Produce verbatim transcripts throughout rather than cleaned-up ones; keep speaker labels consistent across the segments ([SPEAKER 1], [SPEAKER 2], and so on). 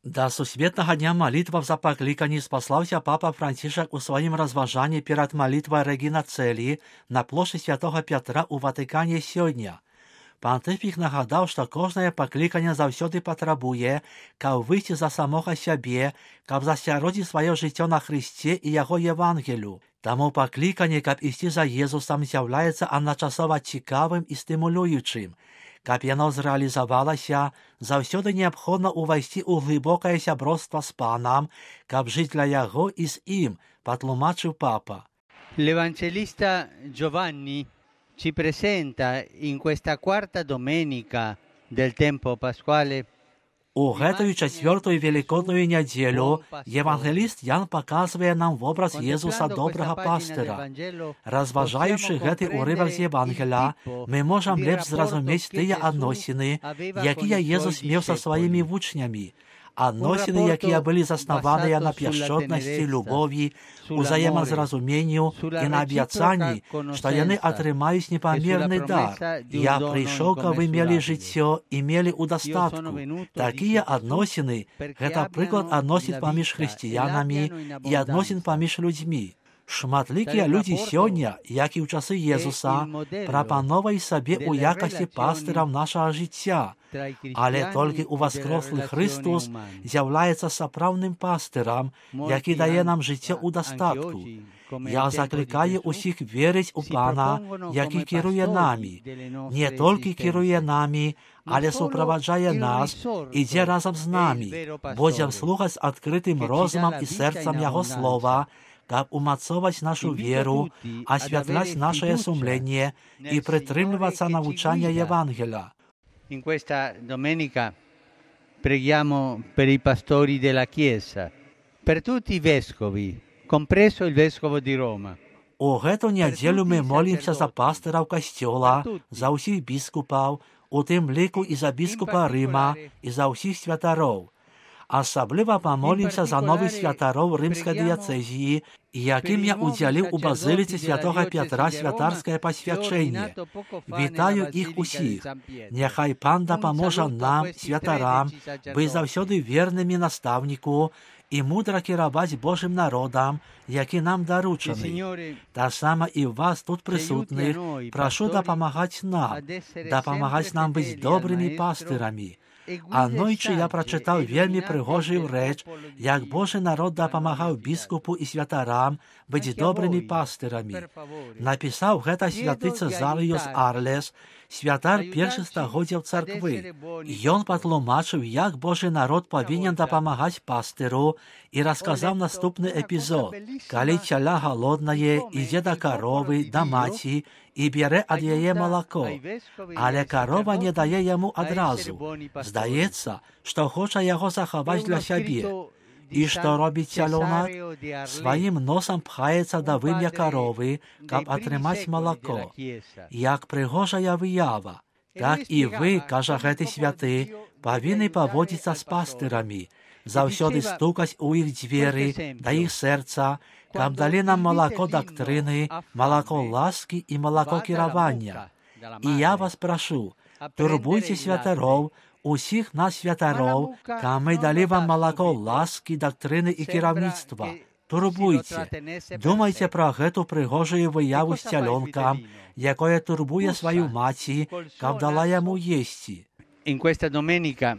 [SPEAKER 1] Да сусветнага дня малітваў за пакліканні спаслаўся папа Францішак у сваім разважанні перад малітвай Регіна Цэлі на плошчы святога Пятра ў Ватыкане сёння. Пантыфік нагадаў, што кожнае пакліканне заўсёды патрабуе, каб выйсці за самога сябе, каб засяродзіць сваё жыццё на Хрысце і яго Евангелю. Таму пакліканне, каб ісці за Езусам, з'яўляецца адначасова цікавым і стымулюючым. Каб яно зрэалізавалася, заўсёды неабходна ўвайсці ў глыбокае сяброўства з Панам, каб жыць для яго і з ім, патлумачыў папа.
[SPEAKER 2] L'Evangelista Giovanni ci presenta in questa quarta domenica del tempo pasquale.
[SPEAKER 1] У гэтую чацвёртую велікодную нядзелю евангеліст Ян паказвае нам вобраз Езуса добрага пастыра. Разважаючы гэты ўрывак з Евангеля, мы можам лепш зразумець тыя адносіны, якія Езус меў са сваімі вучнямі, адносіны, якія былі заснаваныя на пяшчотнасці, любові, узаемазразуменню і на абяцанні, што яны атрымаюць непамерны дар. Я прыйшоў, каб вы мелі жыццё і мелі ў дастатку. Такія адносіны – гэта прыклад адносін паміж хрысціянамі і адносін паміж людзьмі. Шматлікія людзі сёння, як і ў часы Езуса, прапановваюць сабе ў якасці пастыраў нашага жыцця, але толькі ўваскрослы Хрыстус з'яўляецца сапраўдным пастырам, які дае нам жыццё ў дастатку. Я заклікаю ўсіх верыць у Пана, які кіруе намі. Не толькі кіруе намі, але суправаджае нас, ідзе разам з намі. Будзем слухаць з адкрытым розумам і сэрцам Яго слова, каб умацоваць нашу веру, асвятляць нашае сумленне і прытрымлівацца навучання Евангеля.
[SPEAKER 2] In questa domenica preghiamo per i pastori della Chiesa, per tutti i vescovi, compreso il vescovo di Roma.
[SPEAKER 1] У гэту нядзелю мы молімся за пастыраў касцёла, за ўсіх біскупаў, у тым ліку і за біскупа Рыма, і за ўсіх святароў. Асабліва памолімся за новых святароў рымскай дыяцэзіі, якім я удзяліў у базыліцы святога Пятра святарскае пасвячэнне. Вітаю іх усіх. Няхай Пан дапаможа нам, святарам, быць заўсёды вернымі настаўніку і мудра кіраваць Божым народам, які нам даручаны. Таксама і вас тут прысутных прашу дапамагаць нам, дапамагаць нам быць добрымі пастырамі. Анойчы я прачытаў вельмі прыгожую рэч, як Божы народ дапамагаў біскупу і святарам быць добрымі пастырамі. Напісаў гэта святы Цэзарыюс Арлес, святар першых стагоддзяў царквы. Ён патлумачыў, як Божы народ павінен дапамагаць пастыру і расказаў наступны эпізод. Калі цяля галоднае, ідзе да каровы, да маці і бярэ ад яе малако, але карова не дае яму адразу. Здаецца, што хоча яго захаваць для сябе. І што робіць цялёнак? Сваім носам пхаецца да вымя каровы, каб атрымаць малако. Як прыгожая выява. Так і вы, кажа гэты святы, павінны паводзіцца з пастырамі, заўсёды стукаць у іх дзверы, да іх сэрца, каб далі нам малако дактрыны, малако ласкі і малако кіравання. І я вас прашу, турбуйце святароў, усіх нас святароў, каб мы далі вам малако ласкі, дактрыны і кіраўніцтва. Турбуйце. Думайце пра гэту прыгожую выяву з цялёнкам, якое турбуе сваю маці, каб дала яму есці.
[SPEAKER 2] In questa domenica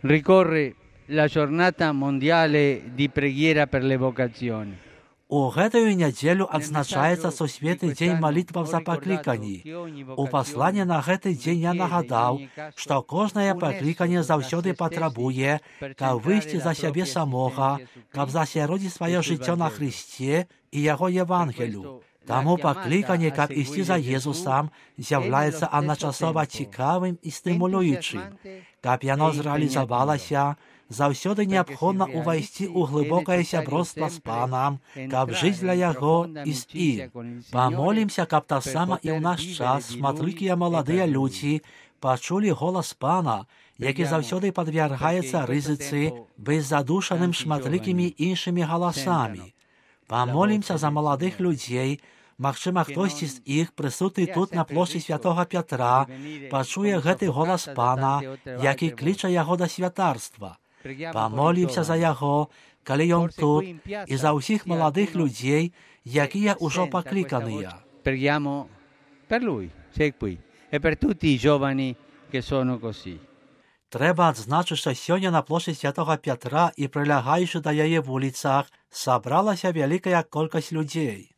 [SPEAKER 2] ricorre la giornata mondiale di preghiera per le vocazioni.
[SPEAKER 1] У гэтую нядзелю адзначаецца сусветны дзень малітваў за пакліканні. У пасланні на гэты дзень я нагадаў, што кожнае пакліканне заўсёды патрабуе, каб выйсці за сябе самога, каб засяродзіць сваё жыццё на Хрысце і яго Евангелю. Таму пакліканне, каб ісці за Езусам, з'яўляецца адначасова цікавым і стымулюючым. Каб яно зрэалізавалася, заўсёды неабходна ўвайсці ў глыбокае сяброўства з Панам, каб жыць для яго і з ім. Памолімся, каб таксама і ў наш час шматлікія маладыя людзі пачулі голас Пана, які заўсёды падвяргаецца рызыцы быць задушаным шматлікімі іншымі галасамі. Памолімся за маладых людзей, Магчыма, хтосьці з іх, прысутны тут на плошчы святога Пятра, пачуе гэты голас Пана, які кліча яго да святарства. Помолимся за його, коли он тут, і за усіх молодих людей, які є уже покликані.
[SPEAKER 2] Preghiamo per lui, sei qui, e per tutti i giovani che sono così.
[SPEAKER 1] Треба відзначити, що сьогодні на площі Святого Петра і прилягаючи до її вулицях, собралася велика кількість людей.